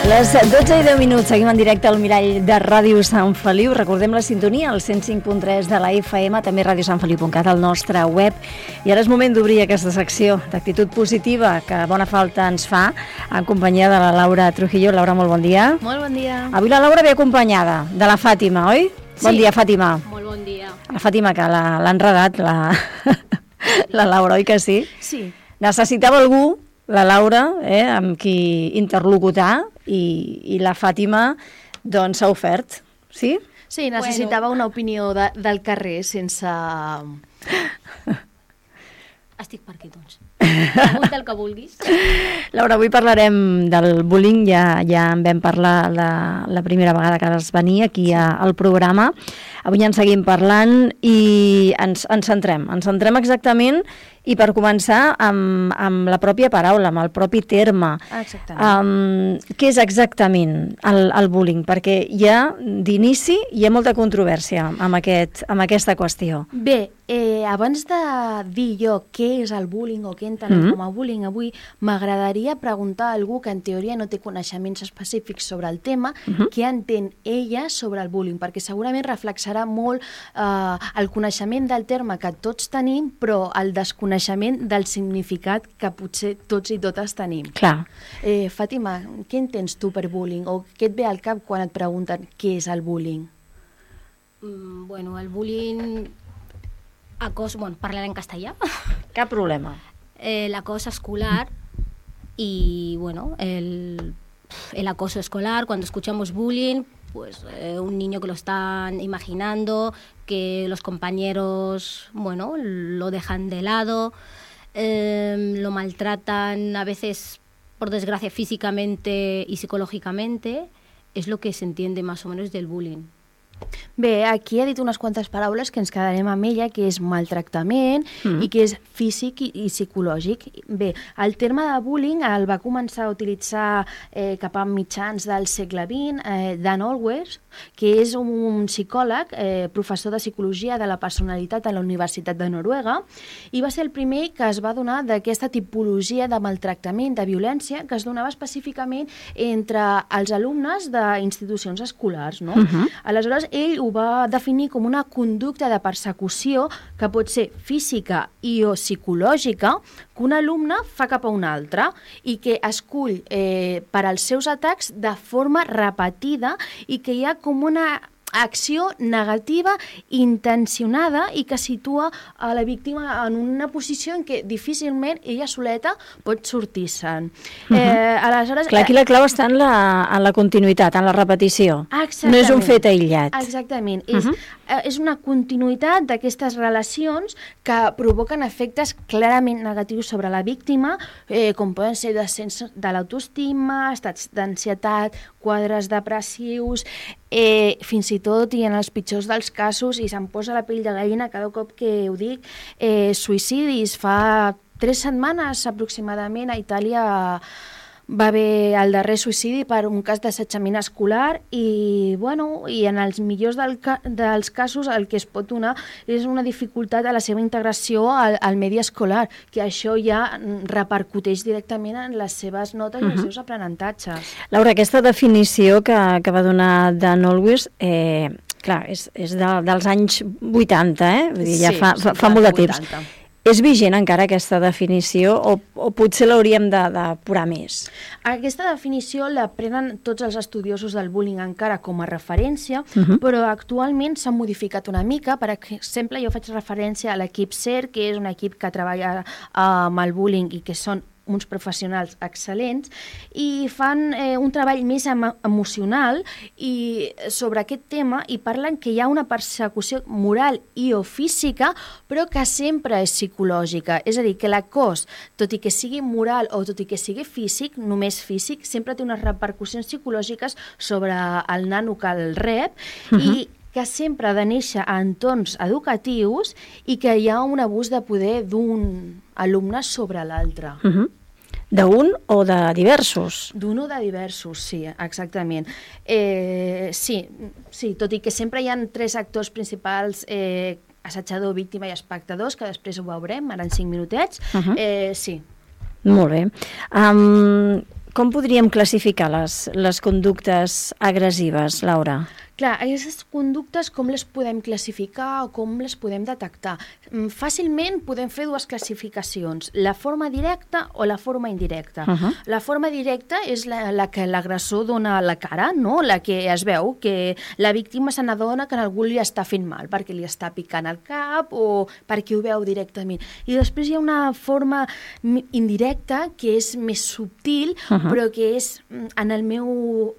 Les 12:10, seguim en directe al Mirall de Ràdio Sant Feliu. Recordem la sintonia, el 105.3 de la FM, també radiosantfeliu.cat, al nostre web. I ara és moment d'obrir aquesta secció d'actitud positiva que bona falta ens fa, en companyia de la Laura Trujillo. Laura, molt bon dia. Molt bon dia. Avui la Laura ve acompanyada de la Fàtima, oi? Sí. Bon dia, Fàtima. Molt bon dia. La Fàtima, que l'ha enredat, la Laura, oi que sí? Sí. Necessitava algú, la Laura, amb qui interlocutar, i la Fàtima doncs s'ha ofert, sí? Sí, necessitava una opinió del carrer sense... Estic per aquí, doncs. Pregunta el que vulguis. Laura, avui parlarem del bullying, ja en vam parlar la primera vegada que vas venir aquí al programa. Avui en seguim parlant i ens centrem exactament, i per començar amb la pròpia paraula, amb el propi terme. Exactament. Què és exactament el bullying? Perquè d'inici hi ha molta controvèrsia amb aquesta qüestió. Bé, abans de dir jo què és el bullying o què entenem com a bullying, avui m'agradaria preguntar a algú que en teoria no té coneixements específics sobre el tema, què entén ella sobre el bullying, perquè segurament reflexarà molt el coneixement del terme que tots tenim, però el desconeixement del significat que potser tots i totes tenim. Clar. Fàtima, què entens tu per bullying? O què et ve al cap quan et pregunten què és el bullying? Bueno, el bullying... Bueno, parlaré en castellà. Cap problema. El acoso escolar y, bueno, el acoso escolar. Cuando escuchamos bullying, pues un niño que lo están imaginando, que los compañeros, bueno, lo dejan de lado, lo maltratan a veces, por desgracia, físicamente y psicológicamente, es lo que se entiende más o menos del bullying. Bé, aquí ha dit unes quantes paraules que ens quedarem amb ella, que és maltractament i que és físic i psicològic. Bé, el terme de bullying el va començar a utilitzar cap a mitjans del segle XX Dan Olweus, que és un psicòleg, professor de psicologia de la personalitat a la Universitat de Noruega, i va ser el primer que es va donar d'aquesta tipologia de maltractament, de violència, que es donava específicament entre els alumnes d'institucions escolars, no? Aleshores, ell ho va definir com una conducta de persecució que pot ser física i o psicològica que un alumne fa cap a un altre i que escull per als seus atacs de forma repetida i que hi ha com una acció negativa intencionada i que situa a la víctima en una posició en què difícilment ella soleta pot sortir-se'n. Aleshores, clar, aquí la clau està en la continuïtat, en la repetició. Exactament. No és un fet aïllat. Exactament. És una continuïtat d'aquestes relacions que provoquen efectes clarament negatius sobre la víctima, com poden ser descens de l'autoestima, estats d'ansietat, quadres depressius, fins i tot, i en els pitjors dels casos, i se'm posa la pell de gallina cada cop que ho dic, suïcidis. Fa 3 setmanes aproximadament a Itàlia va haver el darrer suïcidi per un cas d'assetjament escolar i, bueno, i en els millors dels casos el que es pot donar és una dificultat a la seva integració al medi escolar, que això ja repercuteix directament en les seves notes i els seus aprenentatges. Laura, aquesta definició que va donar Dan Olweus, clar, és dels anys 80, Vull dir, ja fa molt de temps. 80. És vigent encara aquesta definició o potser l'hauríem d'apurar més? Aquesta definició la prenen tots els estudiosos del bullying encara com a referència, però actualment s'ha modificat una mica. Per exemple, jo faig referència a l'equip CER, que és un equip que treballa amb el bullying i que són uns professionals excel·lents i fan un treball més emocional i sobre aquest tema, i parlen que hi ha una persecució moral i o física, però que sempre és psicològica. És a dir, que l'acòs, tot i que sigui moral o tot i que sigui físic, només físic, sempre té unes repercussions psicològiques sobre el nano que el rep i que sempre ha de néixer a entorns educatius i que hi ha un abús de poder d'un alumne sobre l'altre. D'un o de diversos? D'un o de diversos, sí, exactament. Sí, tot i que sempre hi ha 3 actors principals, assetjador, víctima i espectadors, que després ho veurem, ara en 5 minutets, sí. Molt bé. Com podríem classificar les conductes agressives, Laura? Clar, aquestes conductes com les podem classificar o com les podem detectar? Fàcilment podem fer dues classificacions, la forma directa o la forma indirecta. La forma directa és la que l'agressor dona a la cara, no? La que es veu que la víctima se n'adona que algú li està fent mal, perquè li està picant el cap o perquè ho veu directament. I després hi ha una forma indirecta que és més subtil, però que és,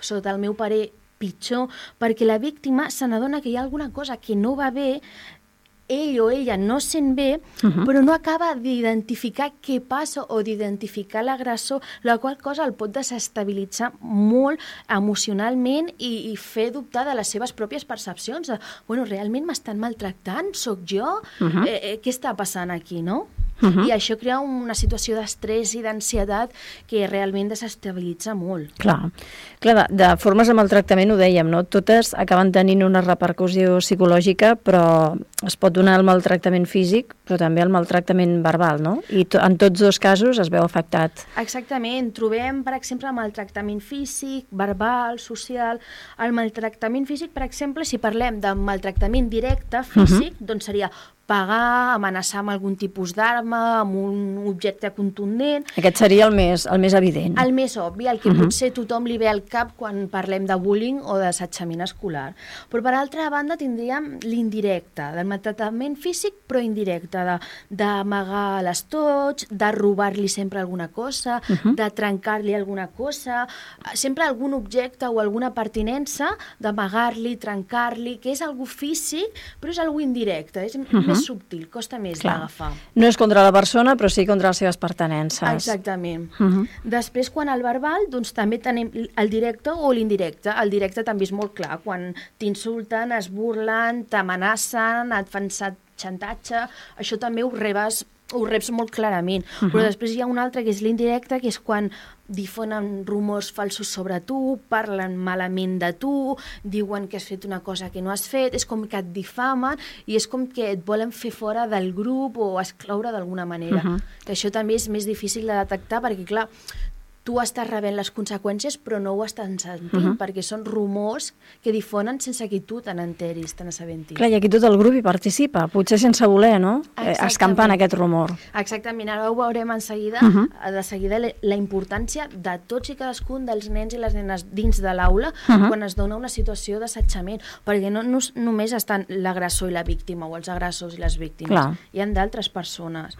sota el meu parer, pitjor, perquè la víctima se n'adona que hi ha alguna cosa que no va bé, ell o ella no sent bé, però no acaba d'identificar què passa o d'identificar l'agressor, la qual cosa el pot desestabilitzar molt emocionalment i fer dubtar de les seves pròpies percepcions. Bueno, realment m'estan maltractant? Soc jo? Què està passant aquí, no? I això crea una situació d'estrès i d'ansietat que realment desestabilitza molt. Clar, de formes de maltractament ho dèiem, no? Totes acaben tenint una repercussió psicològica, però es pot donar el maltractament físic, però també el maltractament verbal, no? I en tots dos casos es veu afectat. Exactament. Trobem, per exemple, el maltractament físic, verbal, social. El maltractament físic, per exemple, si parlem de maltractament directe físic, doncs seria pegar, amenaçar amb algun tipus d'arma, amb un objecte contundent. Aquest seria el més evident. El més obvi, el que potser tothom li ve al cap quan parlem de bullying o d'assetjament escolar. Però per altra banda tindríem l'indirecte, del maltractament físic però indirecte, d'amagar l'estoig, de robar-li sempre alguna cosa, de trencar-li alguna cosa, sempre algun objecte o alguna pertinença, d'amagar-li, trencar-li, que és algo físic però és algo indirecte, és més subtil, costa més d'agafar. No és contra la persona, però sí contra les seves pertinences. Exactament. Després, quan al verbal, doncs també tenim el directe o l'indirecte. El directe també és molt clar, quan t'insulten, es burlen, t'amenacen, et fan xantatge, això també ho reps molt clarament. Però després hi ha un altre que és l'indirecte, que és quan difonen rumors falsos sobre tu, parlen malament de tu, diuen que has fet una cosa que no has fet, és com que et difamen i és com que et volen fer fora del grup o excloure d'alguna manera. Que això també és més difícil de detectar perquè, clar, tu estàs rebent les conseqüències però no ho estàs sentint, perquè són rumors que difonen sense que tu te n'enteris, te n'assabentis. Clar, i aquí tot el grup hi participa, potser sense voler, no? Escampant aquest rumor. Exactament, ara ho veurem de seguida la importància de tots i cadascun dels nens i les nenes dins de l'aula quan es dona una situació d'assetjament, perquè no només estan l'agressor i la víctima o els agressors i les víctimes, hi ha d'altres persones.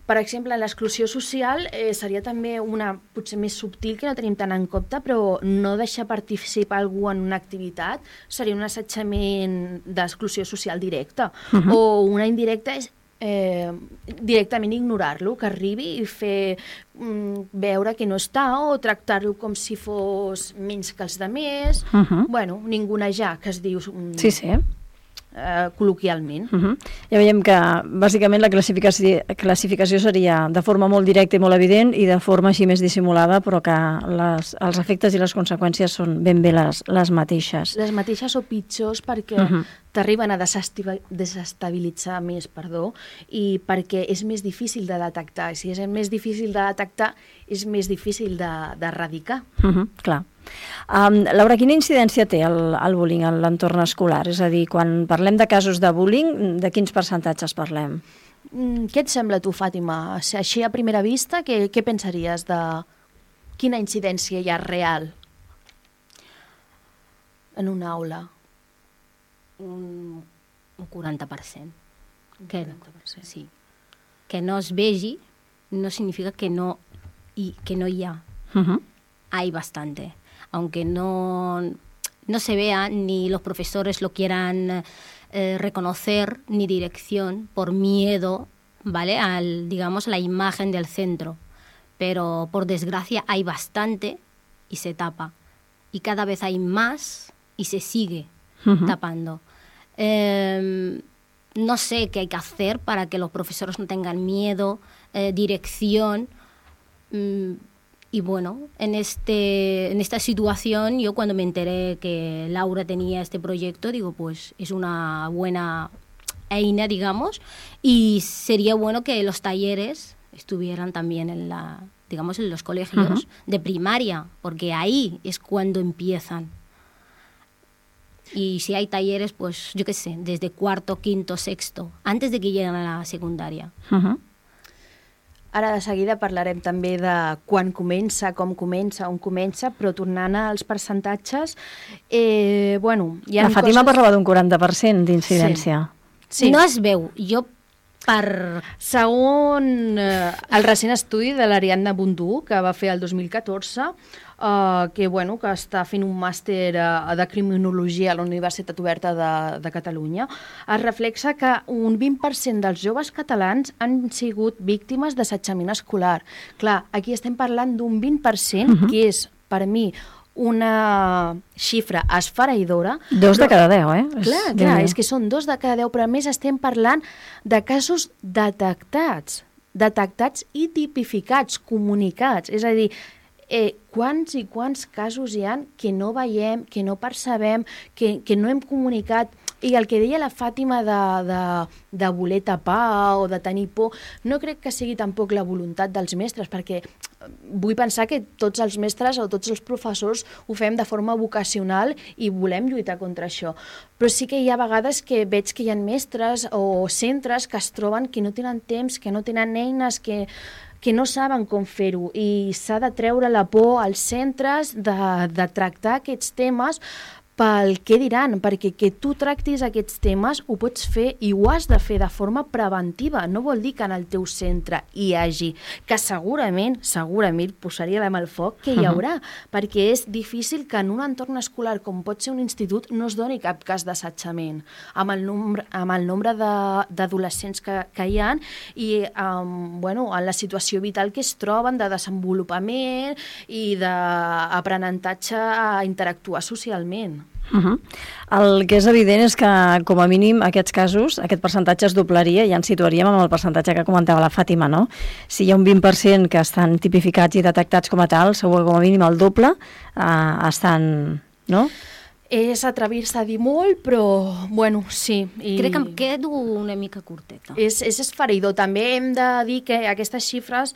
Per exemple, l'exclusió social seria també una potser més subtil que no tenim tant en compte, però no deixar participar algú en una activitat seria un assetjament d'exclusió social directa. O una indirecta és directament ignorar-lo, que arribi i fer veure que no està o tractar-lo com si fos menys que els altres. Bueno, ningunejar, que es diu... Sí. Col·loquialment. Ja veiem que bàsicament la classificació seria de forma molt directa i molt evident i de forma així més dissimulada, però que els efectes i les conseqüències són ben bé les mateixes. Les mateixes o pitjors perquè t'arriben a desestabilitzar més, i perquè és més difícil de detectar. Si és més difícil de detectar, és més difícil d'erradicar. Clar. Laura, quina incidència té el bullying en l'entorn escolar? És a dir, quan parlem de casos de bullying, de quins percentatges parlem? Què et sembla a tu, Fàtima? Així a primera vista, què pensaries de quina incidència hi ha real en una aula? Un 40%. Sí. Que no es vegi no significa que no hi ha. Hay bastante. Aunque no se vea, ni los profesores lo quieran reconocer, ni dirección, por miedo, ¿vale? Digamos, la imagen del centro. Pero, por desgracia, hay bastante y se tapa. Y cada vez hay más y se sigue tapando. No sé qué hay que hacer para que los profesores no tengan miedo, dirección... Y bueno, en esta situación, yo cuando me enteré que Laura tenía este proyecto, digo, pues es una buena eina, digamos, y sería bueno que los talleres estuvieran también digamos, en los colegios de primaria, porque ahí es cuando empiezan. Y si hay talleres, pues yo qué sé, desde cuarto, quinto, sexto, antes de que lleguen a la secundària. Ara de seguida parlarem també de quan comença, com comença, on comença, però tornant als percentatges, bueno... La Fàtima parlava d'un 40% d'incidència. Sí. No es veu. Jo Segons el recent estudi de l'Ariadna Bundú, que va fer el 2014, que està fent un màster de criminologia a la Universitat Oberta de Catalunya, es reflexa que un 20% dels joves catalans han sigut víctimes d'assetjament escolar. Clar, aquí estem parlant d'un 20%, que és, per mi, una xifra esfereïdora. 2 de cada 10, Clar, és que són 2 de cada 10, però a més estem parlant de casos detectats i tipificats, comunicats. És a dir, quants i quants casos hi ha que no veiem, que no percebem, que no hem comunicat. I el que deia la Fàtima de voler tapar o de tenir por, no crec que sigui tampoc la voluntat dels mestres, perquè vull pensar que tots els mestres o tots els professors ho fem de forma vocacional i volem lluitar contra això. Però sí que hi ha vegades que veig que hi ha mestres o centres que es troben que no tenen temps, que no tenen eines, que no saben com fer-ho, i s'ha de treure la por als centres de tractar aquests temes pel què diran, perquè que tu tractis aquests temes ho pots fer i ho has de fer de forma preventiva. No vol dir que en el teu centre hi hagi, que segurament posaria la mà al foc, que hi haurà, perquè és difícil que en un entorn escolar com pot ser un institut no es doni cap cas d'assetjament, amb el nombre d'adolescents que hi ha i en la situació vital que es troben de desenvolupament i d'aprenentatge a interactuar socialment. El que és evident és que, com a mínim, aquests casos, aquest percentatge es doblaria i ens situaríem amb el percentatge que comentava la Fàtima, no? Si hi ha un 20% que estan tipificats i detectats com a tal, segur que com a mínim el doble estan, no? És atrevir-se a dir molt, però, sí. Crec que em quedo una mica curteta. És esfereïdor. També hem de dir que aquestes xifres,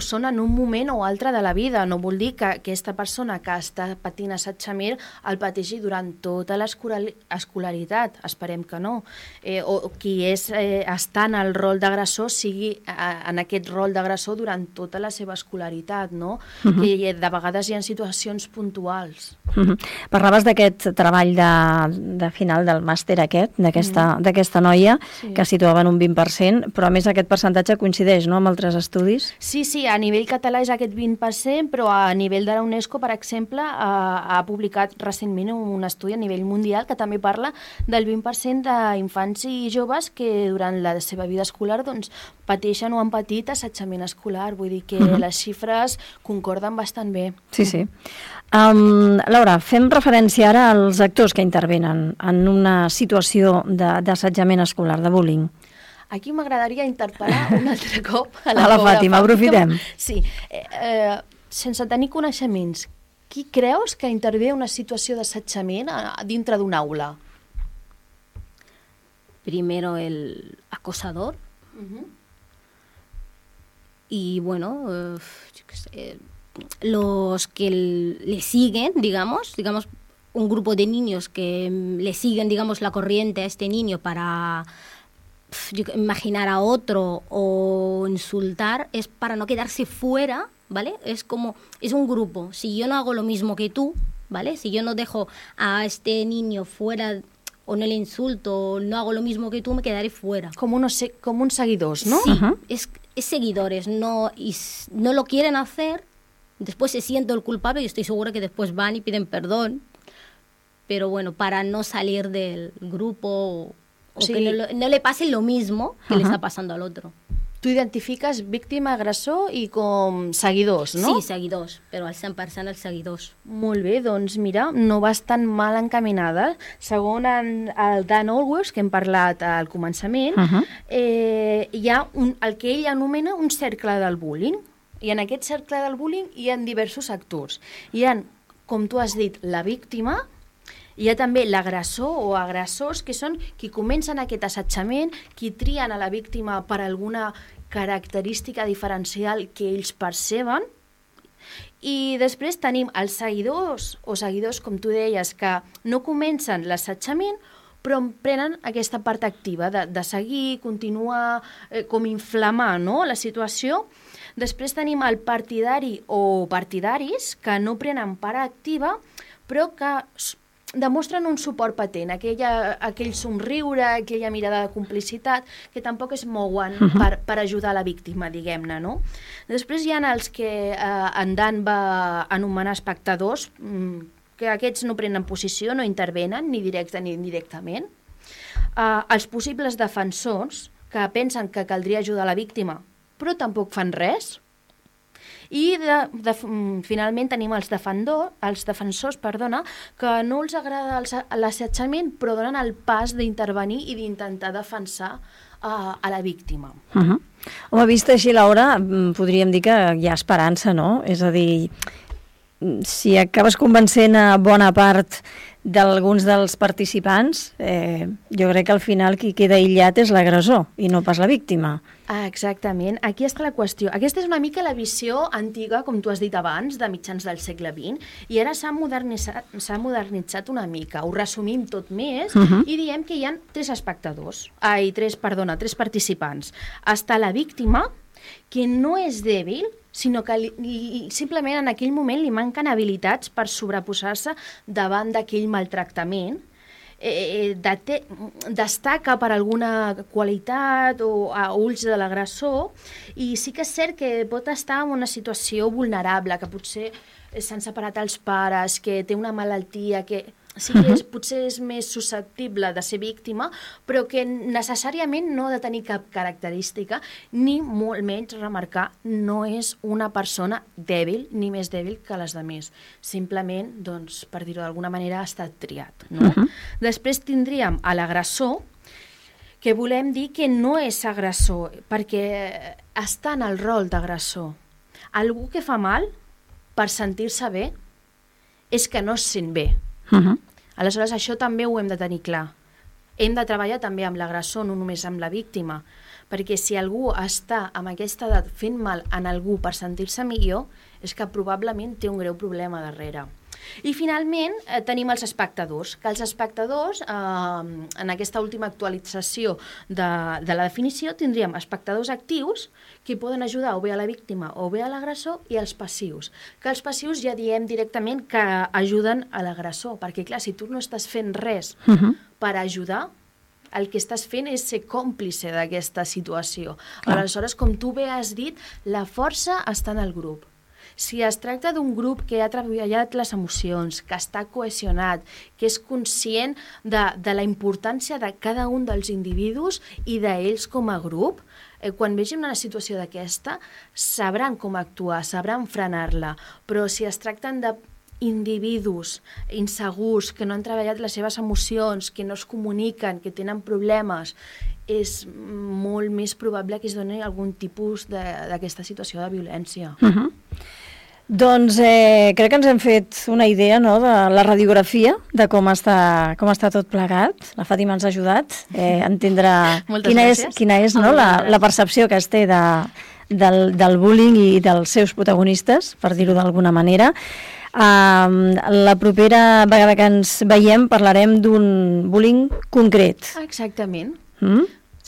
són en un moment o altre de la vida. No vol dir que aquesta persona que està patint assetjament el pateixi durant tota l'escolaritat. Esperem que no. O qui està en el rol d'agressor sigui en aquest rol d'agressor durant tota la seva escolaritat, no? Que de vegades hi ha situacions puntuals. Parlaves d'aquest treball de final del màster d'aquesta noia, que situava en un 20%, però a més aquest percentatge coincideix, no?, amb altres estudis? Sí, a nivell català és aquest 20%, però a nivell de la UNESCO, per exemple, ha publicat recentment un estudi a nivell mundial que també parla del 20% d'infants i joves que durant la seva vida escolar pateixen o han patit assetjament escolar. Vull dir que les xifres concorden bastant bé. Sí. Laura, fem referència ara als actors que intervenen en una situació d'assetjament escolar, de bullying. Aquí m'agradaria interpel·lar un altre cop a la Fàtima, aprofitem. Sí, sense tenir coneixements, qui creus que intervé en una situació d'assetjament dintre d'una aula? Primero el acosador y los que le siguen, digamos un grupo de niños que le siguen, la corriente a este niño para imaginar a otro o insultar, es para no quedarse fuera, ¿vale? Es un grupo. Si yo no hago lo mismo que tú, ¿vale? Si yo no dejo a este niño fuera o no le insulto o no hago lo mismo que tú, me quedaré fuera. Como un seguidores, ¿no? Sí, es seguidores, no lo quieren hacer. Después se siente el culpable y estoy segura que después van y piden perdón, pero para no salir del grupo o que no le pase lo mismo que le está pasando al otro. Tu identifiques víctima, agressor i com seguidors, no? Sí, seguidors, però al 100% els seguidors. Molt bé, doncs mira, no vas tan mal encaminada. Segons el Dan Olworth, que hem parlat al començament, hi ha el que ell anomena un cercle del bullying. I en aquest cercle del bullying hi ha diversos actors. Hi ha, com tu has dit, la víctima, hi ha també l'agressor o agressors, que són qui comencen aquest assetjament, qui trien a la víctima per alguna característica diferencial que ells perceben. I després tenim els seguidors, o seguidors, com tu deies, que no comencen l'assetjament, però prenen aquesta part activa de seguir, continuar, com inflamar, no?, la situació. Després tenim el partidari o partidaris que no prenen part activa, però que demostren un suport patent, aquell somriure, aquella mirada de complicitat, que tampoc es mouen per ajudar la víctima, diguem-ne, no? Després hi ha els que en Dan va anomenar espectadors, que aquests no prenen posició, no intervenen, ni directe ni indirectament. Els possibles defensors, que pensen que caldria ajudar la víctima, però tampoc fan res. I finalment tenim els defensors, que no els agrada l'assetjament, però donen el pas d'intervenir i d'intentar defensar a la víctima. Home, vista així, Laura, podríem dir que hi ha esperança, no? És a dir, si acabes convencent a bona part d'alguns dels participants, jo crec que al final qui queda aïllat és l'agressor i no pas la víctima. Exactament, aquí està la qüestió. Aquesta és una mica la visió antiga, com tu has dit abans, de mitjans del segle XX, i ara s'ha modernitzat una mica. Ho resumim tot més i diem que hi ha tres participants. Està la víctima, que no és dèbil, sinó que simplement en aquell moment li manquen habilitats per sobreposar-se davant d'aquell maltractament, destaca per alguna qualitat o a ulls de l'agressor, i sí que és cert que pot estar en una situació vulnerable, que potser s'han separat els pares, que té una malaltia, que sí que potser és més susceptible de ser víctima, però que necessàriament no ha de tenir cap característica, ni molt menys remarcar, no és una persona dèbil, ni més dèbil que les altres. Simplement, doncs, per dir-ho d'alguna manera, ha estat triat. No? Després tindríem a l'agressor, que volem dir que no és agressor, perquè està en el rol d'agressor. Algú que fa mal, per sentir-se bé, és que no es sent bé. Aleshores, això també ho hem de tenir clar. Hem de treballar també amb l'agressor, no només amb la víctima, perquè si algú està amb aquesta edat fent mal en algú per sentir-se millor, és que probablement té un greu problema darrere. I finalment tenim els espectadors, que els espectadors, en aquesta última actualització de la definició, tindríem espectadors actius que poden ajudar o bé a la víctima o bé a l'agressor, i els passius, que els passius ja diem directament que ajuden a l'agressor, perquè clar, si tu no estàs fent res per ajudar, el que estàs fent és ser còmplice d'aquesta situació. Aleshores, com tu bé has dit, la força està en el grup. Si es tracta d'un grup que ha treballat les emocions, que està cohesionat, que és conscient de la importància de cada un dels individus i d'ells com a grup, quan vegin una situació d'aquesta, sabran com actuar, sabran frenar-la. Però si es tracten d'individus insegurs, que no han treballat les seves emocions, que no es comuniquen, que tenen problemes, és molt més probable que es doni algun tipus d'aquesta situació de violència. Doncs crec que ens hem fet una idea, no?, de la radiografia, de com està tot plegat. La Fàtima ens ha ajudat a entendre quina és no, la percepció que es té del bullying i dels seus protagonistes, per dir-ho d'alguna manera. La propera vegada que ens veiem parlarem d'un bullying concret. Exactament.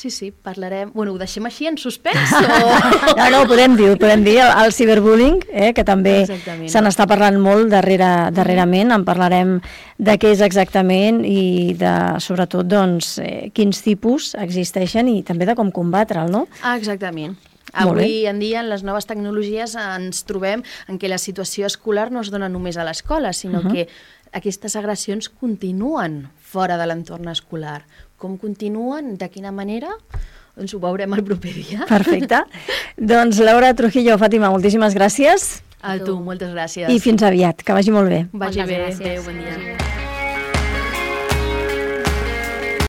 Sí, parlarem... Bueno, ho deixem així en suspens? No, ho podem dir, el ciberbullying, que també se n'està parlant molt darrerament. En parlarem de què és exactament i de, sobretot, doncs, quins tipus existeixen i també de com combatre'l, no? Exactament. Avui en dia, en les noves tecnologies, ens trobem en què la situació escolar no es dona només a l'escola, sinó que aquestes agressions continuen fora de l'entorn escolar. Com continuen, de quina manera, doncs ho veurem el proper dia. Perfecte. Doncs Laura Trujillo, Fàtima, moltíssimes gràcies. A tu, moltes gràcies. I fins aviat, que vagi molt bé. Vagi bé, adéu, bon dia.